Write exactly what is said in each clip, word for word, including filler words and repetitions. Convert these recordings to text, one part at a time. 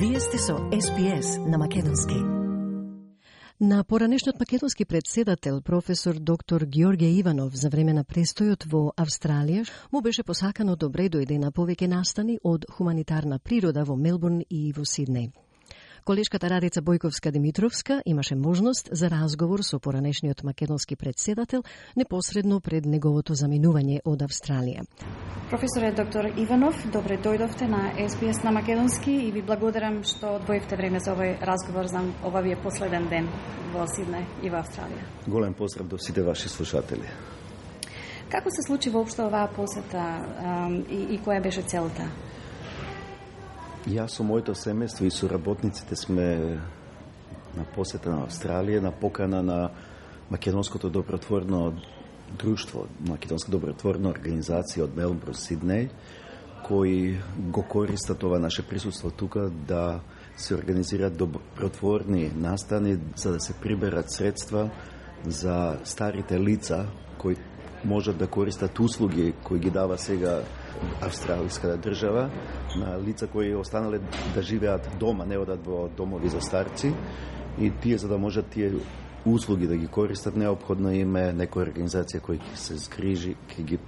Вие сте со Ес Би Ес на македонски. На поранешниот македонски председател, професор доктор Ѓорѓе Иванов, за време на престојот во Австралија, му беше посакано добре дојде на повеќе настани од хуманитарна природа во Мелбурн и во Сиднеј. Колешката Радица Бојковска-Димитровска имаше можност за разговор со поранешниот македонски председател непосредно пред неговото заминување од Австралија. Професоре доктор Иванов, добре дојдовте на Ес Би Ес на македонски и ви благодарам што одвоивте време за овој разговор за ова ви е последен ден во Сиднеј и во Австралија. Голем поздрав до сите ваши слушатели. Како се случи воопшто оваа посета и, и која беше целта? Јас со моето семејство и соработниците сме на посета на Австралија, на покана на Македонското добротворно друштво, Македонска добротворна организација од Мелбурн, Сиднеј, кои го користат ова наше присуство тука да се организираат добротворни настани за да се приберат средства за старите лица кои можат да користат услуги кои ги дава сега австралиската држава на лица кои останале да живеат дома, не одат во домови за старци, и тие за да можат тие услуги да ги користат, неопходно им е некоја организација која ќе се згрижи, ќе ги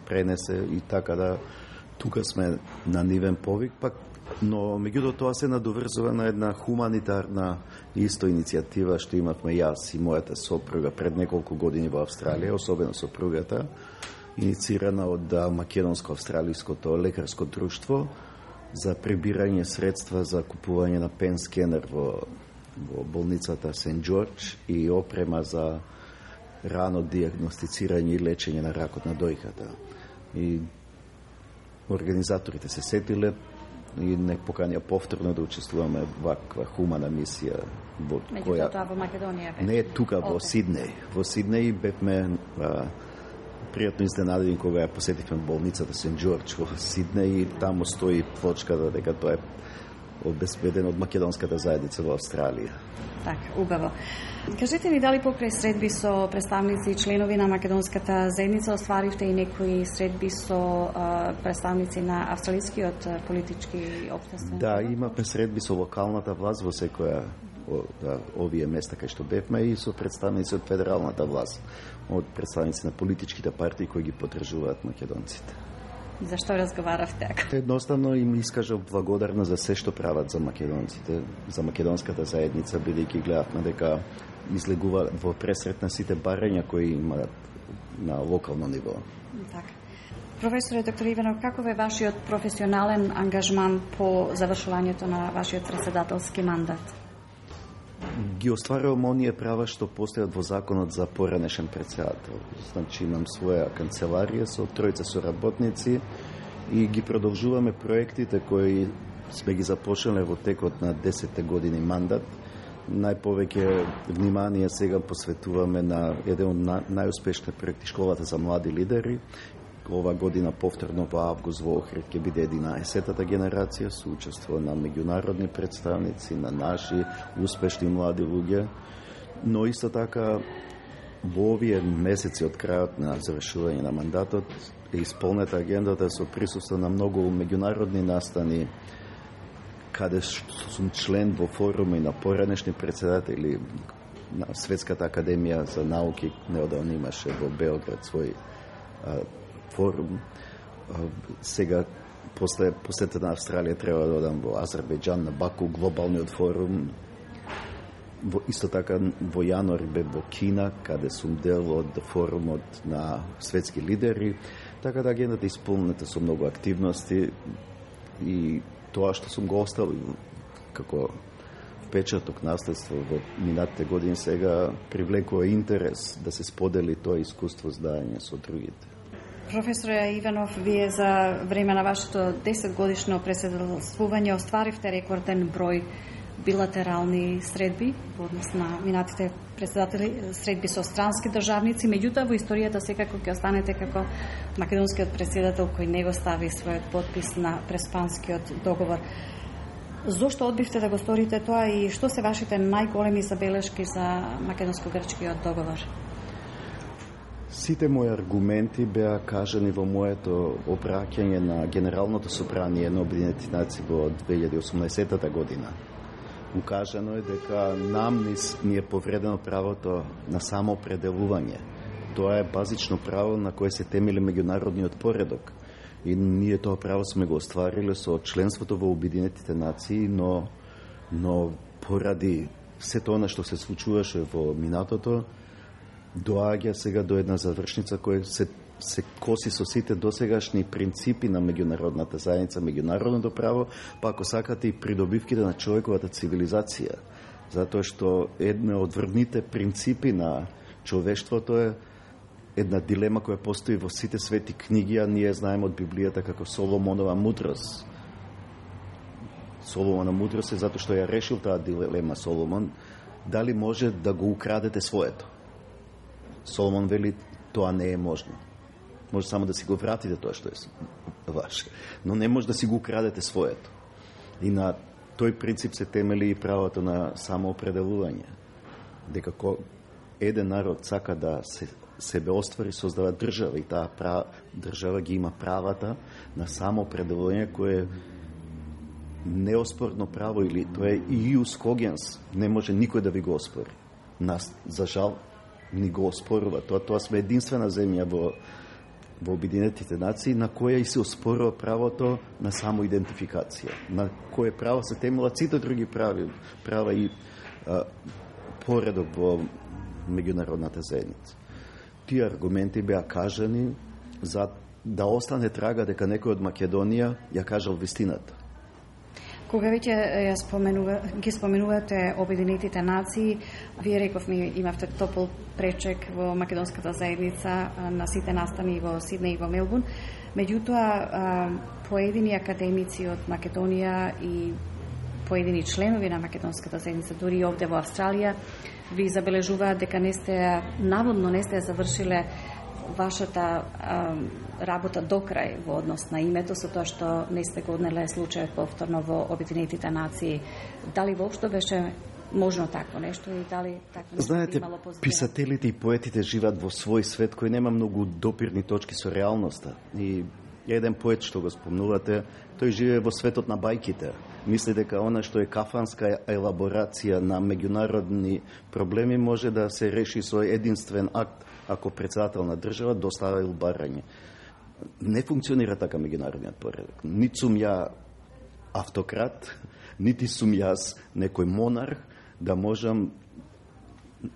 пренесе, и така да тука сме на нивен повик, пак, но меѓутоа тоа се надоврзува на една хуманитарна исто иницијатива што имавме јас и мојата сопруга пред неколку години во Австралија, особено сопругата, инициирана од Македонско-австралиското лекарско друштво за прибирање средства за купување на пен скенер во, во болницата Сент Џорџ и опрема за рано диагностицирање и лечење на ракот на дојката. И организаторите се сетиле и не поканија повторно да учествуваме во ваква хумана мисија во која тоа во Македонија бе. Не тука во Сиднеј. Во Сиднеј бевме а, пријатно изненадени кога ја посетивме болницата Сент Џорџ во Сиднеј и таму стои плочката дека тоа е обезбедено од македонската заедница во Австралија. Така, убаво. Кажете ни дали покрај средби со представници и членови на македонската заедница остваривте и некои средби со а, представници на австралискиот политички општествен? Да, имаме средби со локалната власт во секоја да, овие места кај што бевме и со представници од федералната власт, од представници на политичките партии кои ги поддржуваат македонците. Зашто разговаравте така? Едноставно им искажав благодарна за се што прават за македонците, за македонската заедница, бидејќи гледавме дека излегува во пресрет на сите барања кои имаат на локално ниво. Така. Професоре доктор Иванов, каков е вашиот професионален ангажман по завршувањето на вашиот председателски мандат? Ги остварувам оние права што постојат во законот за поранешен председател. Значи имам своја канцеларија со тројца соработници и ги продолжуваме проектите кои сме ги започнале во текот на десетте години мандат. Најповеќе внимание сега посветуваме на еден од најуспешните проекти Школата за млади лидери. Ова година повторно во август во Охрид ќе биде единаесеттата генерација со учество на меѓународни представници, на наши успешни млади луѓе, но исто така во овие месеци од крајот на завршување на мандатот е исполнета агендата со присуство на многу меѓународни настани каде сум член во форуми на поранешни председатели на Светската академија за науки, неодамно имаше во Белград свој а, форум. Сега, после посетата на Австралија, треба да одам во Азербејџан на Баку, глобалниот форум. Во, исто така, во јануари бе во Кина, каде сум дел од форумот на светски лидери. Така да агендата е исполнета со многу активности и тоа што сум го оставил како впечаток наследство во минатите години сега привлекува интерес да се сподели тоа искуство здање со другите. Професоре Иванов, вие за време на вашето десетгодишно председателствување остваривте рекорден број билатерални средби во однос на минатите председатели, средби со странски државници, меѓутоа во историјата секако ќе останете како македонскиот председател кој не го стави својот потпис на Преспанскиот договор. Зошто одбивте да го сторите тоа и што се вашите најголеми забелешки за македонско-грчкиот договор? Сите мои аргументи беа кажани во моето обраќање на Генералното собрание на Обединетите нации во две илјади и осумнаесетта година. Укажано е дека нам ни е повредено правото на самоопределување. Тоа е базично право на кое се темели меѓународниот поредок. И ние тоа право сме го оствариле со членството во Обединетите нации, но, но поради се тоа што се случуваше во минатото, доаѓа сега до една завршница која се, се коси со сите досегашни принципи на меѓународната заедница, меѓународното право, па ако сакате и придобивките на човековата цивилизација. Затоа што една од врвните принципи на човештвото е една дилема која постои во сите свети книги, а ние знаеме од Библијата како Соломонова мудрост. Соломона мудрост е затоа што ја решил таа дилема Соломон, дали може да го украдете своето. Соломон вели, тоа не е можно. Може само да си го вратите тоа што е ваше, но не може да си го украдете своето. И на тој принцип се темели и правото на самоопределување. Дека еден народ сака да се себе оствари, создава држава и таа прав... држава ги има правата на самоопределување кое е неоспорно право или тоа е ius cogens, не може никој да ви го оспори. Нас, за жал, ни го оспорува. Тоа, тоа сме единствена земја во, во Обединетите нации на која и се оспорува правото на самоидентификација, на кое право се темелат сите други прави, права и а, поредок во меѓународната заедница. Тие аргументи беа кажани за да остане трага дека некој од Македонија ја кажал вистината. Кога веќе ја споменува, ги споменувате Обединетите нации, вие рековме имавте топол пречек во македонската заедница на сите настани во Сиднеј и во Мелбурн. Меѓутоа, поедини академици од Македонија и поедини членови на македонската заедница, дури и овде во Австралија, ви забележуваат дека не сте, наводно не сте завршиле вашата а, работа до крај во однос на името, со тоа што не сте го однеле случајот повторно во Обединетите нации. Дали воопшто беше можно такво нешто и дали такво нешто Знаете, имало позитивно? писателите и поетите живеат во свој свет кој нема многу допирни точки со реалноста. И еден поет што го спомнувате, тој живее во светот на бајките. Мисли дека она што е кафанска елаборација на меѓународни проблеми може да се реши со единствен акт ако председател на држава доставил барање. Не функционира така меѓународниот поредок. Нити сум ја автократ, нити сум јас некој монарх да можам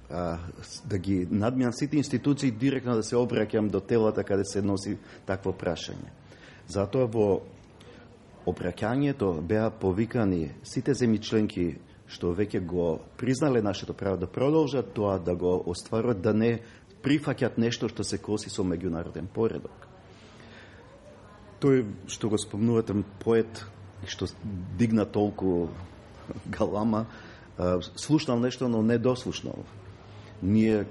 а, да ги надминам сите институции директно да се обраќам до телата каде се носи такво прашање. Затоа во обраќањето беа повикани сите земји членки што веќе го признале нашето право да продолжат тоа да го остварат, да не прифаќат нешто што се коси со меѓународен поредок. Тој што го спомнувате поет што дигна толку галама, слушнал нешто, но не дослушнал. Ние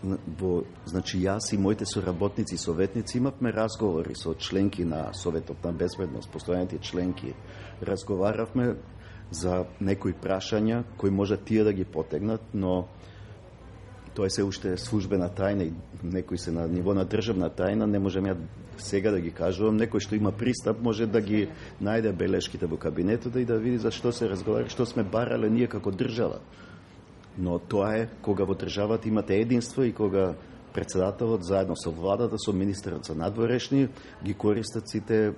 во, значи јас и моите соработници и советници имавме разговори со членки на Советот на безбедност, постојаните членки. Разговаравме за некои прашања кои може тие да ги потегнат, но тоа се уште службена тајна и некои се на ниво на државна тајна, не можем ја сега да ги кажувам. Некој што има пристап може да ги најде белешките во кабинетот и да види за што се разговара, што сме барале ние како држава. Но тоа е кога во државата имате единство и кога председателот заедно со владата, со министерот за надворешни ги користат сите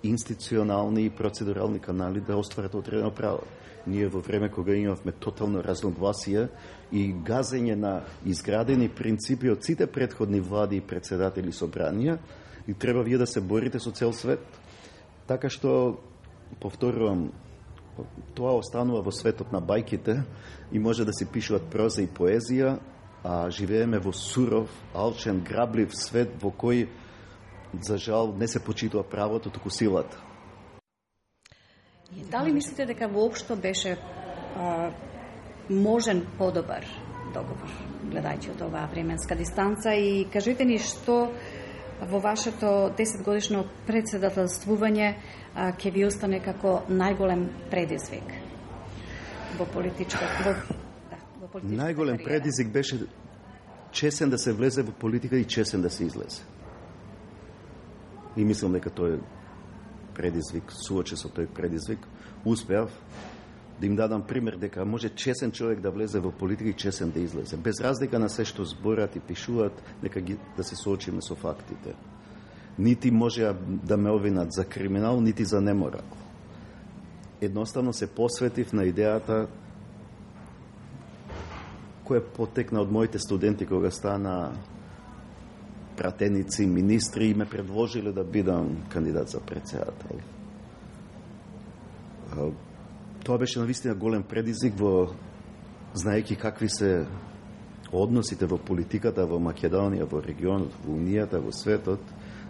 институционални и процедурални канали да остварат одредено право. Ние во време кога имавме тотално разногласие и газење на изградени принципи од сите претходни влади и председатели собранија, и треба вие да се борите со цел свет. Така што, повторувам, тоа останува во светот на бајките и може да се пишуваат проза и поезија, а живееме во суров, алчен, граблив свет во кој, за жал, не се почитува правото, туку силата. Дали мислите дека воопшто беше а, можен подобар договор, гледајќи од оваа временска дистанца, и кажете ни што во вашето десетгодишно председателствување а, ќе ви остане како најголем предизвик во политичка во, да, во политичка најголем кариера. предизвик беше чесен да се влезе во политика и чесен да се излезе. И мислам дека тој предизвик, суочи со тој предизвик, успеав да им дадам пример дека може чесен човек да влезе во политика и чесен да излезе. Без разлика на се што зборат и пишуваат, нека ги, да се соочиме со фактите. Нити може да ме обвинат за криминал, нити за неморал. Едноставно се посветив на идејата која потекна од моите студенти кога стана пратеници, министри и ме предложиле да бидам кандидат за председател. Тоа беше навистина голем предизвик, во знаејќи какви се односите во политиката во Македонија, во регионот, во Унијата, во светот,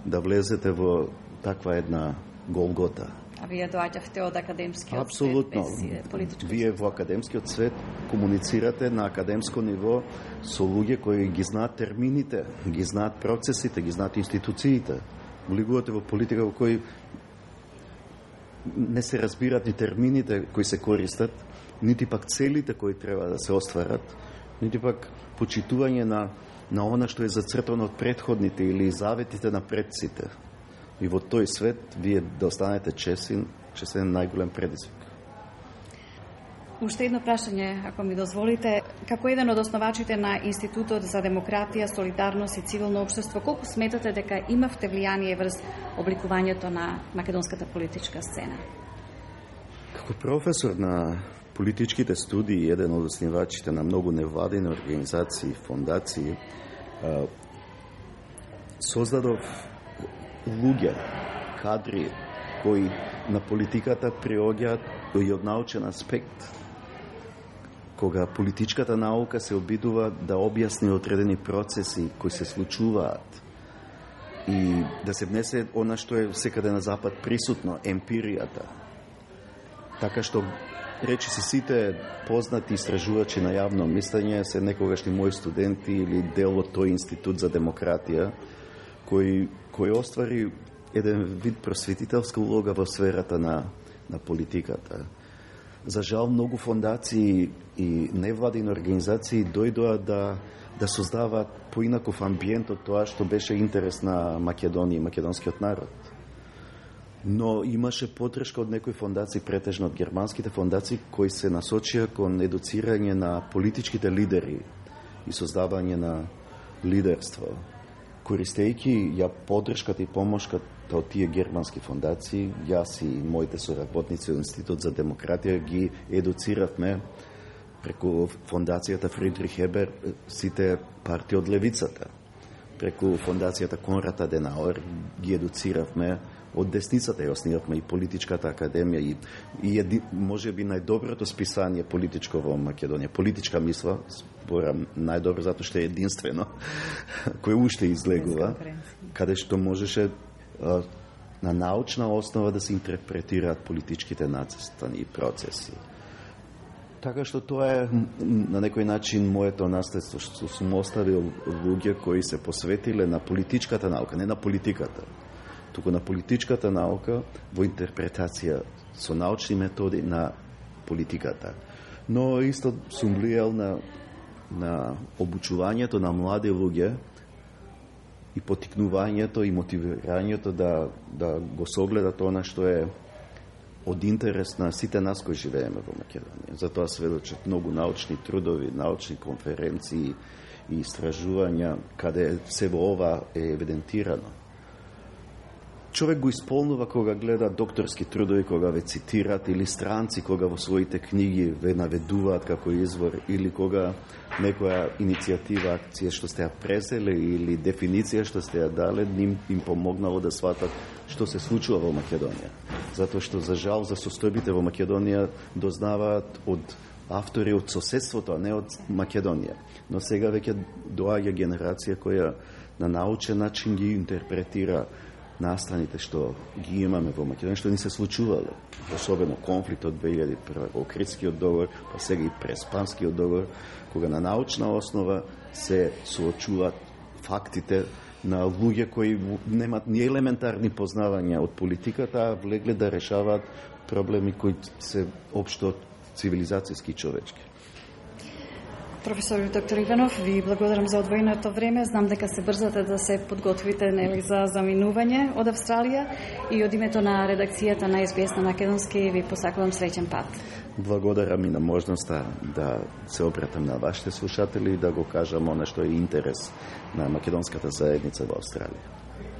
да влезете во таква една голгота. А вие доаѓавте од академскиот Апсолутно. свет, без политичко. Вие во академскиот свет комуницирате на академско ниво со луѓе кои ги знаат термините, ги знаат процесите, ги знаат институциите. Влегувате во политика во кој не се разбират ни термините кои се користат, нити пак целите кои треба да се остварат, нити пак почитување на, на она што е зацртано од претходните или заветите на предците. И во тој свет вие да останете чесен, чесен најголем предизвик. Уште едно прашање, ако ми дозволите. Како еден од основачите на Институтот за демократија, солидарност и цивилно општество, колку сметате дека имавте влијание врз обликувањето на македонската политичка сцена? Како професор на политичките студии, еден од основачите на многу невладини организации, фондации, создадов луѓе, кадри кои на политиката приоѓаат и од научен аспект. Кога политичката наука се обидува да објасни одредени процеси кои се случуваат и да се внесе она што е секаде на запад присутно, емпиријата. Така што речи си сите познати истражувачи на јавно мислење се некогашни мои студенти или дел од тој Институт за демократија кој, кој оствари еден вид просветителска улога во сферата на, на политиката. За жал, многу фондации и невладини организации дојдоа да, да создаваат поинаков амбиент од тоа што беше интерес на Македонија и македонскиот народ. Но имаше подршка од некои фондации, претежно од германските фондации, кои се насочија кон едуцирање на политичките лидери и создавање на лидерство. Користејќи ја поддршката и помошката од тие германски фондации, јас и моите соработници од Институт за демократија ги едуциравме преку фондацијата Фридрих Ебер сите партии од левицата. Преку фондацијата Конрад Аденауер ги едуциравме од десницата и основавме и политичката академија и, и еди, може би најдоброто списание политичко во Македонија. Политичка мисла, спорам најдобро затоа што е единствено, кој уште излегува, каде што можеше а, на научна основа да се интерпретираат политичките нацистани процеси. Така што тоа е на некој начин моето наследство, што сум оставил луѓе кои се посветиле на политичката наука, не на политиката, туку на политичката наука во интерпретација со научни методи на политиката. Но исто сум влијал на, на обучувањето на млади луѓе и потикнувањето и мотивирањето да, да го согледат она што е од интерес на сите нас кои живееме во Македонија. Затоа сведочат многу научни трудови, научни конференции и истражувања каде се во ова е евидентирано. Човек го исполнува кога гледа докторски трудови, кога ве цитират, или странци кога во своите книги ве наведуваат како извор, или кога некоја иницијатива, акција што сте ја презеле или дефиниција што сте ја дале, ним им помогнало да сватат што се случува во Македонија. Затоа што за жал за состојбите во Македонија дознаваат од автори од соседството, а не од Македонија. Но сега веќе доаѓа генерација која на научен начин ги интерпретира настаните што ги имаме во Македонија, што ни се случувало, особено конфликтот две илјади и прва, Охридскиот договор, па сега и Преспанскиот договор, кога на научна основа се соочуваат фактите на луѓе кои немат ни елементарни познавања од политиката, а влегле да решаваат проблеми кои се општо цивилизацијски и човечки. Професор доктор Иванов, ви благодарам за одвоеното време. Знам дека се брзате да се подготвите нели за заминување од Австралија и од името на редакцијата на Ес Би Ес на македонски ви посакувам среќен пат. Благодарам и на можноста да се обратам на вашите слушатели и да го кажам она што е интерес на македонската заедница во Австралија.